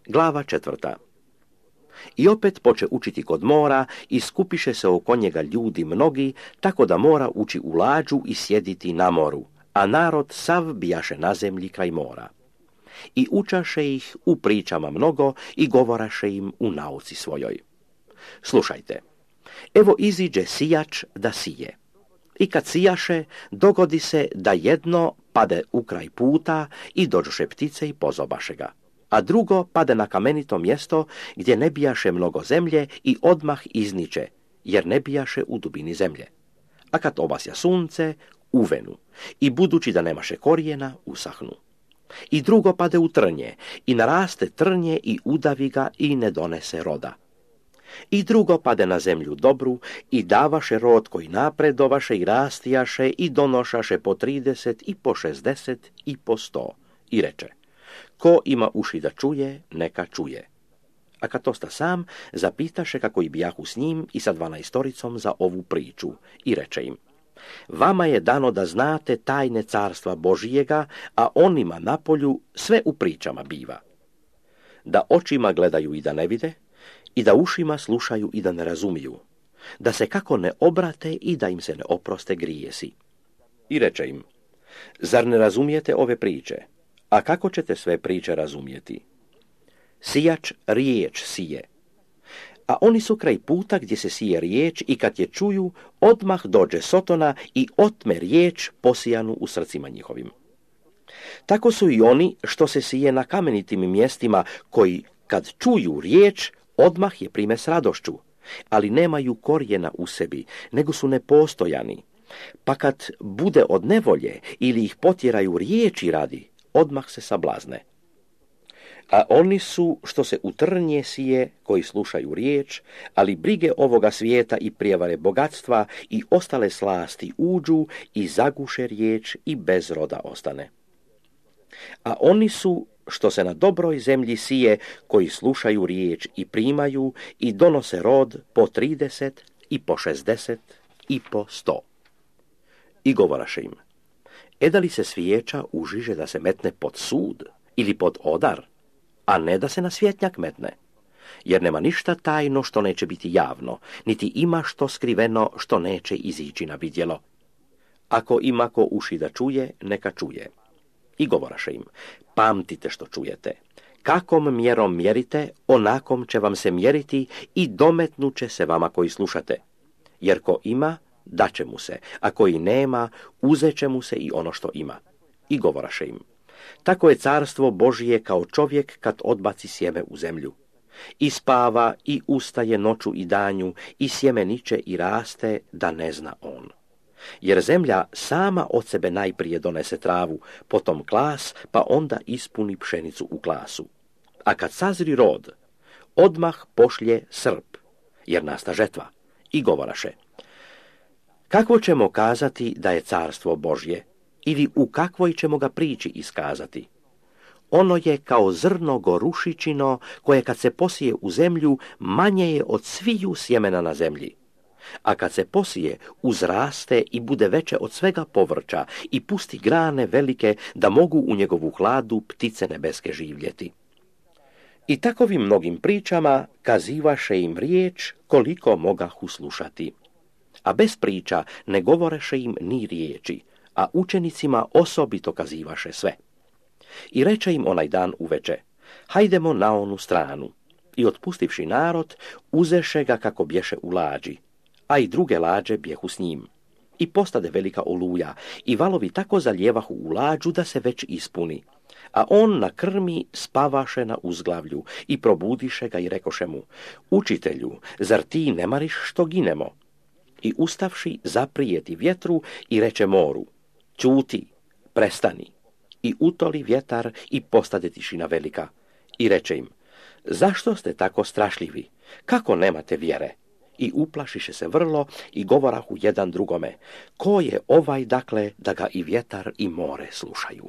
Glava 4. I opet poče učiti kod mora i skupiše se oko njega ljudi mnogi, tako da mora ući u lađu i sjediti na moru, a narod sav bijaše na zemlji kraj mora. I učaše ih u pričama mnogo i govoraše im u nauci svojoj. Slušajte, evo iziđe sijač da sije. I kad sijaše, dogodi se da jedno pade u kraj puta i dođoše ptice i pozobaše ga, a drugo pade na kamenito mjesto gdje ne bijaše mnogo zemlje i odmah izniče, jer ne bijaše u dubini zemlje. A kad obasja sunce, uvenu i budući da nemaše korijena, usahnu. I drugo pade u trnje i naraste trnje i udavi ga i ne donese roda. I drugo pade na zemlju dobru i davaše rod koji napredovaše i rastijaše i donošaše po 30 i po 60 i po 100. I reče, ko ima uši da čuje, neka čuje. A kad osta sam, zapitaše kako i bijahu s njim i sa 12 za ovu priču i reče im, vama je dano da znate tajne carstva Božijega, a onima napolju sve u pričama biva. Da očima gledaju i da ne vide, i da ušima slušaju i da ne razumiju, da se kako ne obrate i da im se ne oproste grijesi. I reče im, zar ne razumijete ove priče? A kako ćete sve priče razumijeti? Sijač riječ sije. A oni su kraj puta gdje se sije riječ i kad je čuju, odmah dođe Sotona i otme riječ posijanu u srcima njihovim. Tako su i oni što se sije na kamenitim mjestima, koji kad čuju riječ, odmah je prime s radošću, ali nemaju korijena u sebi, nego su nepostojani. Pa kad bude od nevolje ili ih potjeraju riječi radi, odmah se sablazne. A oni su što se u trnje sije, koji slušaju riječ, ali brige ovoga svijeta i prijevare bogatstva i ostale slasti uđu i zaguše riječ i bez roda ostane. A oni su što se na dobroj zemlji sije, koji slušaju riječ i primaju i donose rod po 30 i po 60 i po 100. I govoraše im, eda li se svijeća užiže da se metne pod sud ili pod odar, a ne da se na svjetnjak metne? Jer nema ništa tajno što neće biti javno, niti ima što skriveno što neće izići na vidjelo. Ako ima ko uši da čuje, neka čuje. I govoraše im, pamtite što čujete. Kakom mjerom mjerite, onakom će vam se mjeriti i dometnuće se vama koji slušate. Jer ko ima, daće mu se, a koji nema, uzet će mu se i ono što ima. I govoraše im, tako je carstvo Božije kao čovjek kad odbaci sjeme u zemlju. I spava i ustaje noću i danju i sjeme niče i raste da ne zna on. Jer zemlja sama od sebe najprije donese travu, potom klas, pa onda ispuni pšenicu u klasu. A kad sazri rod, odmah pošlje srp, jer nasta žetva. I govoraše, kako ćemo kazati da je carstvo Božje, ili u kakvoj ćemo ga priči iskazati? Ono je kao zrno gorušičino, koje kad se posije u zemlju, manje je od sviju sjemena na zemlji. A kad se posije, uzraste i bude veće od svega povrća i pusti grane velike da mogu u njegovu hladu ptice nebeske živjeti. I takovim mnogim pričama kazivaše im riječ koliko mogahu slušati. A bez priča ne govoreše im ni riječi, a učenicima osobito kazivaše sve. I reče im onaj dan uveče, hajdemo na onu stranu. I otpustivši narod, uzeše ga kako bješe u lađi, a i druge lađe bjehu s njim. I postade velika oluja, i valovi tako zaljevahu u lađu da se već ispuni. A on na krmi spavaše na uzglavlju i probudiše ga i rekoše mu, učitelju, zar ti ne mariš što ginemo? I ustavši zaprijeti vjetru i reče moru, ćuti, prestani. I utoli vjetar i postade tišina velika. I reče im, zašto ste tako strašljivi? Kako nemate vjere? I uplašiše se vrlo i govorahu jedan drugome, ko je ovaj dakle da ga i vjetar i more slušaju?